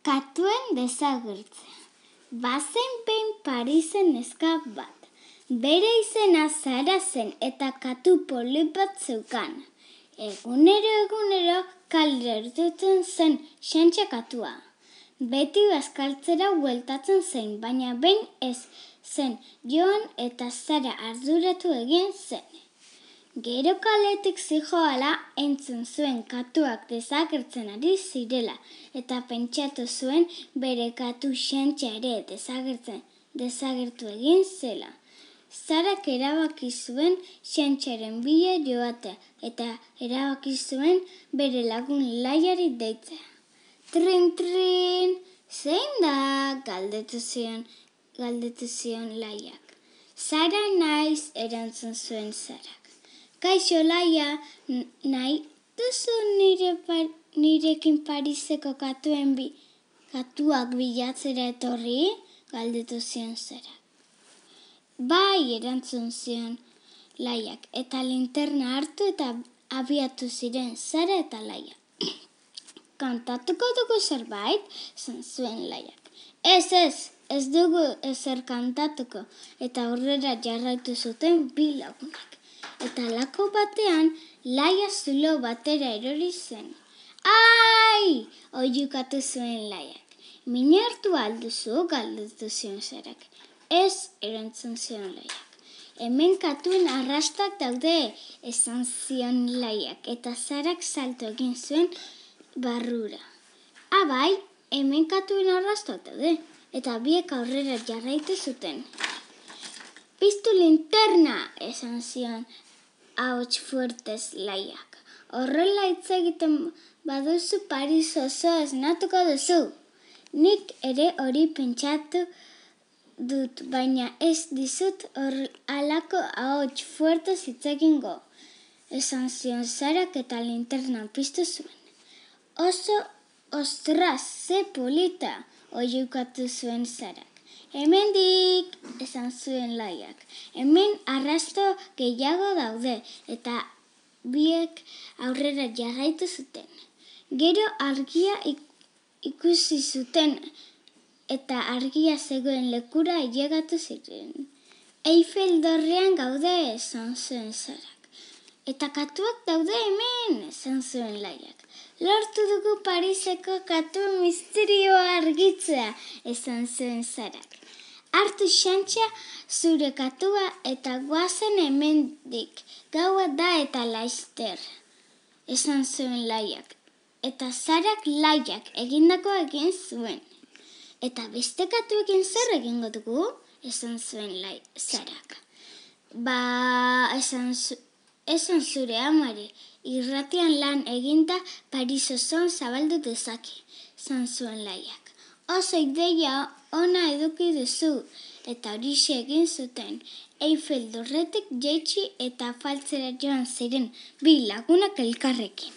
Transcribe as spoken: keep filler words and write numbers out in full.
Katuen desagertzea. Bazen behin Parisen neska bat. Bere izena Sara zen eta katu polit bat zeukan. Egunero egunero kalera irtetzen zen Xantxa katua. Beti bazkaltzera bueltatzen zen, baina behin ez zen joan eta Sara arduratu egin zen. Gero kaletik zihoala entzun zuen katuak desagertzen ari zirela eta pentsatu zuen bere katu Xantxa ere desagertzen desagertu egin zela. Sarak erabaki zuen Xantxaren bila joatea eta erabaki zuen bere lagun Laiari deitzea. Trin, trin, zein da? Galdetu zion, galdetu zion Laiak. Sara naiz, erantzun zuen Sarak. Kaixo Laia, nahi duzu nire par, nirekin Pariseko katuen bi, katuak bilatzera etorri? Galdetu zion Sarak. Bai, erantzun zion Laiak, eta linterna hartu eta abiatu ziren Sara eta Laia. Kantatuko dugu zerbait? Zan zuen Laiak. Ez, ez, ez dugu ezer kantatuko, eta aurrera jarraitu zuten bi lagunak. Eta lako batean, Laia zulo batera erori zen. Ai! Oihukatu zuen Laiak. Min hartu alduzu, galdetu zion Sarak. Ez, erantzun zion Laiak. Hemen katuen arrastak daude, esan zion Laiak, eta Sarak salto egin zuen barrura. Abai, hemen katuen arrastak daude, eta biek aurrera jarraitu zuten. Piztu linterna, esan zion ahots fuertez Laiak. Horrela hitz egiten baduzu Paris oso esnatuko duzu. Nik ere hori pentsatu dut, baina ez dizut hor alako ahots fuertez hitz egingo, esan zion Sarak eta linterna piztu zuen. Oso, ostras, ze polita, oihukatu zuen Sarak. Hemendik, esan zuen Laiak. Hemen arrasto gehiago daude, eta biek aurrera jarraitu zuten. Gero argia ik- ikusi zuten, eta argia zegoen lekura ailegatu ziren. Eiffel dorrean gaude, esan zuen Sarak. Eta katuak daude hemen, esan zuen Laiak. Lortu dugu Pariseko katu misterioa argitzea, esan zuen Sarak. Hartu Xantxa zure katua eta goazen hemendik, gaua da eta laizter, esan zuen Laiak. Eta Sarak Laiak egindako egin zuen. Eta beste katuekin zer egingo dugu? Esan zuen Lai, Sarak. Ba, esan, zu, esan zure amari, irratian lan eginda Paris osoan zabaldu dezake, esan zuen Laiak. Oso ideia ona eduki duzu, eta horixe egin zuten. Eiffel dorretik jaitsi eta afaltzera joan ziren bi lagunak elkarrekin.